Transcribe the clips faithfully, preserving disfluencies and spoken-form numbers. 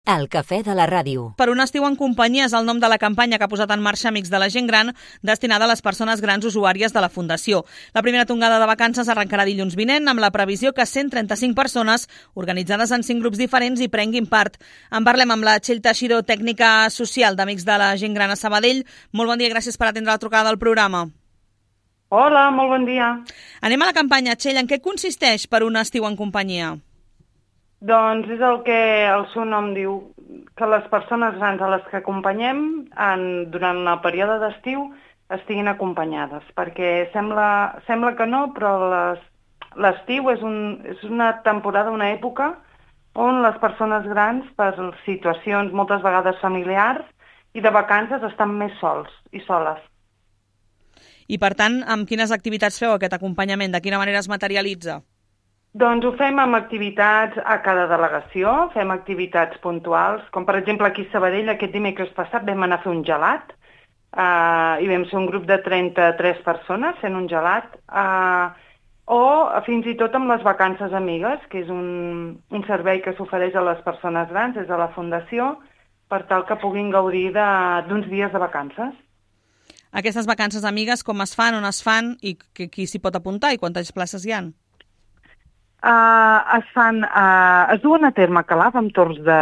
El cafè de la ràdio. Per un estiu en companyia és el nom de la campanya que ha posat en marxa Amics de la Gent Gran, destinada a les persones grans usuàries de la Fundació. La primera tongada de vacances arrencarà dilluns vinent, amb la previsió que cent trenta-cinc persones, organitzades en cinc grups diferents, hi prenguin part. En parlem amb la Txell Teixidor, tècnica social d'Amics de la Gent Gran a Sabadell. Molt bon dia, gràcies per atendre la trucada del programa. Hola, molt bon dia. Anem a la campanya, Txell. En què consisteix per un estiu en companyia? Doncs és el que el seu nom diu, que les persones grans a les que acompanyem en, durant el període d'estiu estiguin acompanyades, perquè sembla, sembla que no, però l'estiu és, un, és una temporada, una època on les persones grans, per situacions moltes vegades familiars i de vacances, estan més sols i soles. I per tant, amb quines activitats feu aquest acompanyament? De quina manera es materialitza? Doncs ho fem amb activitats a cada delegació, fem activitats puntuals, com per exemple aquí a Sabadell, aquest dimecres passat vam anar a fer un gelat, uh, i vam ser un grup de trenta-tres persones fent un gelat, uh, o fins i tot amb les vacances amigues, que és un, un servei que s'ofereix a les persones grans des de la Fundació, per tal que puguin gaudir d'uns dies de vacances. Aquestes vacances amigues com es fan, on es fan i qui s'hi pot apuntar i quantes places hi ha? Uh, es fan, uh, es duen a terme a Calaf amb torns de,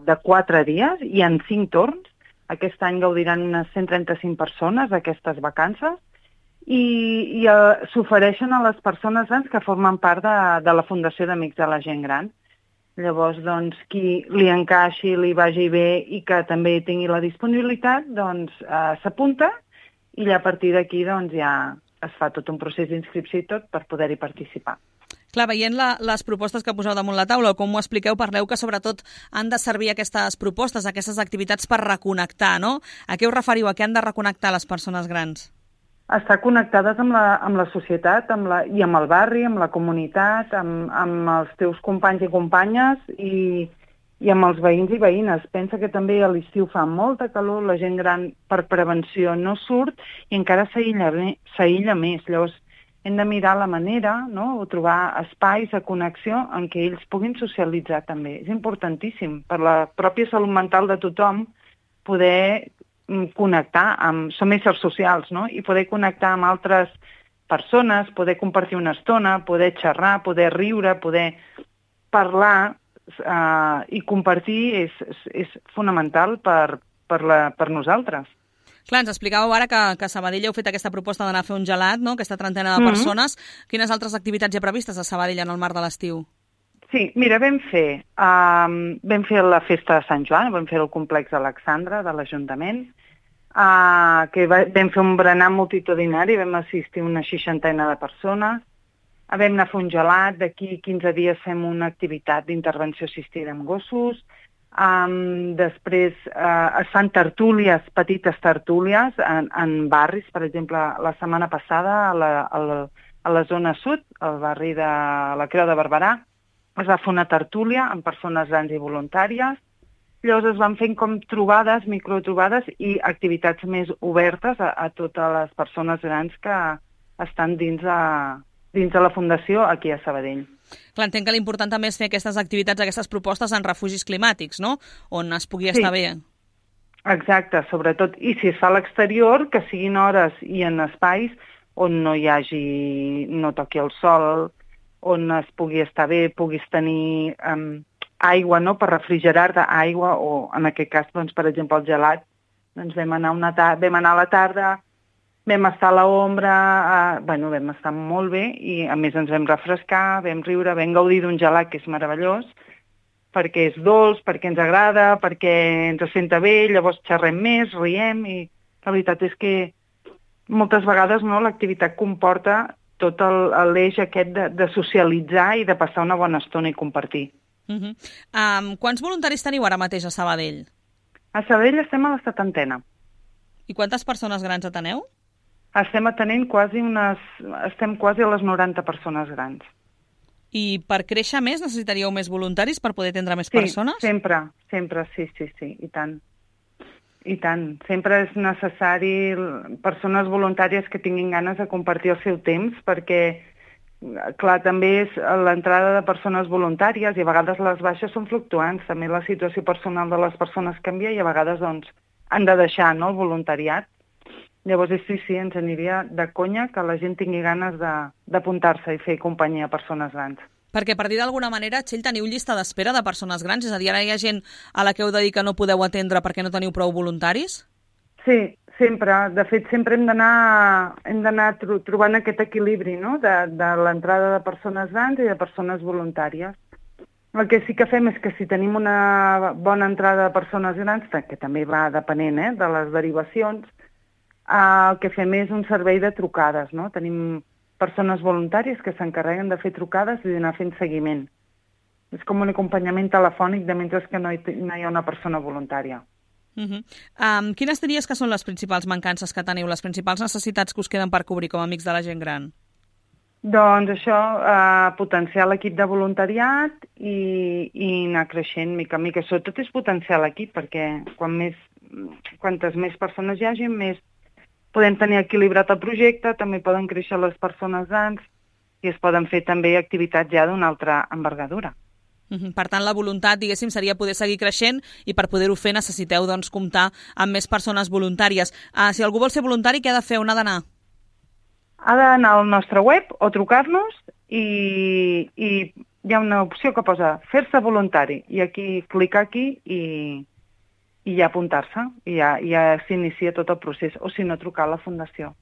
de quatre dies i en cinc torns. Aquest any gaudiran unes cent trenta-cinc persones aquestes vacances i, i uh, s'ofereixen a les persones grans que formen part de, de la Fundació d'Amics de la Gent Gran. Llavors, doncs, qui li encaixi, li vagi bé i que també tingui la disponibilitat, doncs uh, s'apunta i a partir d'aquí doncs, ja es fa tot un procés d'inscripció i tot per poder-hi participar. Clar, veient la, les propostes que poseu damunt la taula, o com ho expliqueu, parleu que sobretot han de servir aquestes propostes, aquestes activitats per reconnectar, no? A què us referiu? A què han de reconnectar les persones grans? Estar connectades amb la, amb la societat amb la, i amb el barri, amb la comunitat, amb, amb els teus companys i companyes i, i amb els veïns i veïnes. Pensa que també a l'estiu fa molta calor, la gent gran per prevenció no surt i encara s'aïlla s'aïlla més. Llavors, hem de mirar la manera, no?, o trobar espais de connexió en què ells puguin socialitzar també. És importantíssim per la pròpia salut mental de tothom poder connectar amb... Som éssers socials, no?, i poder connectar amb altres persones, poder compartir una estona, poder xerrar, poder riure, poder parlar eh, i compartir és, és, és fonamental per, per, la, per nosaltres. Clar, ens explicàveu ara que, que a Sabadell heu fet aquesta proposta d'anar a fer un gelat, no?, aquesta trentena de mm-hmm. persones. Quines altres activitats hi ha previstes a Sabadell en el marc de l'estiu? Sí, mira, vam fer, um, vam fer la festa de Sant Joan, vam fer el complex Alexandra de l'Ajuntament, uh, que va, vam fer un berenar multitudinari, vam assistir una seixantena de persones, uh, vam anar a fer un gelat, d'aquí quinze dies fem una activitat d'intervenció assistida amb gossos. Um, després uh, es fan tertúlies, petites tertúlies en, en barris, per exemple, la setmana passada a la, a la, a la zona sud, al barri de la Creu de Barberà, es va fer una tertúlia amb persones grans i voluntàries. Llavors es van fent com trobades, microtrobades i activitats més obertes a, a totes les persones grans que estan dins de, dins de la Fundació aquí a Sabadell. Clar, entenc que l'important també és fer aquestes activitats, aquestes propostes en refugis climàtics, no?, on es pugui estar sí. bé. Exacte, sobretot. I si es fa a l'exterior, que siguin hores i en espais on no hi hagi, no toqui el sol, on es pugui estar bé, puguis tenir um, aigua, no?, per refrigerar-te, aigua, o en aquest cas, doncs, per exemple, el gelat. Doncs vam anar, una ta- vam anar a la tarda, vam estar a l'ombra, eh, bueno, vam estar molt bé i a més ens vam refrescar, vam riure, vam gaudir d'un gelat que és meravellós, perquè és dolç, perquè ens agrada, perquè ens senta bé, llavors xerrem més, riem i la veritat és que moltes vegades no, l'activitat comporta tot l'eix aquest de, de socialitzar i de passar una bona estona i compartir. Uh-huh. Um, quants voluntaris teniu ara mateix a Sabadell? A Sabadell estem a la setantena. I quantes persones grans ateneu? Estem atenent quasi unes... Estem quasi a les noranta persones grans. I per créixer més necessitaríeu més voluntaris per poder atendre més sí, persones? Sí, sempre, sempre, sí, sí, sí, i tant. I tant. Sempre és necessari persones voluntàries que tinguin ganes de compartir el seu temps perquè clar, també és l'entrada de persones voluntàries i a vegades les baixes són fluctuants. També la situació personal de les persones canvia i a vegades doncs, han de deixar, no?, el voluntariat. Llavors, sí, sí, ens aniria de conya que la gent tingui ganes d'apuntar-se i fer companyia a persones grans. Perquè, per dir d'alguna manera, Txell, teniu llista d'espera de persones grans? És a dir, ara hi ha gent a la que heu de dir que no podeu atendre perquè no teniu prou voluntaris? Sí, sempre. De fet, sempre hem d'anar hem d'anar tro trobant aquest equilibri, no?, de, de l'entrada de persones grans i de persones voluntàries. El que sí que fem és que si tenim una bona entrada de persones grans, que també va depenent eh, de les derivacions, eh, el que fem és un servei de trucades, no? Tenim persones voluntàries que s'encarreguen de fer trucades i d'anar fent seguiment. És com un acompanyament telefònic de mentre que no hi, no hi ha una persona voluntària. Uh -huh. um, quines diries que són les principals mancances que teniu, les principals necessitats que us queden per cobrir com a amics de la gent gran? Doncs això, eh, potenciar l'equip de voluntariat i, i anar creixent mica en mica. Sobretot és potenciar l'equip, perquè quan més, quantes més persones hi hagi, més podem tenir equilibrat el projecte, també poden créixer les persones grans i es poden fer també activitats ja d'una altra envergadura. Uh-huh. Per tant, la voluntat, diguéssim, seria poder seguir creixent i per poder-ho fer necessiteu doncs, comptar amb més persones voluntàries. Uh, si algú vol ser voluntari, què ha de fer? On ha d'anar? Ha d'anar al nostre web o trucar-nos i, i hi ha una opció que posa fer-se voluntari i aquí clicar aquí i, i ja apuntar-se i ja, ja s'inicia tot el procés o si no trucar a la Fundació.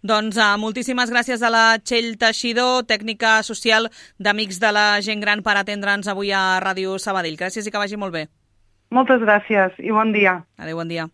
Doncs uh, moltíssimes gràcies a la Txell Teixidor, tècnica social d'Amics de la Gent Gran, per atendre'ns avui a Ràdio Sabadell. Gràcies i que vagi molt bé. Moltes gràcies i bon dia. Adéu, bon dia.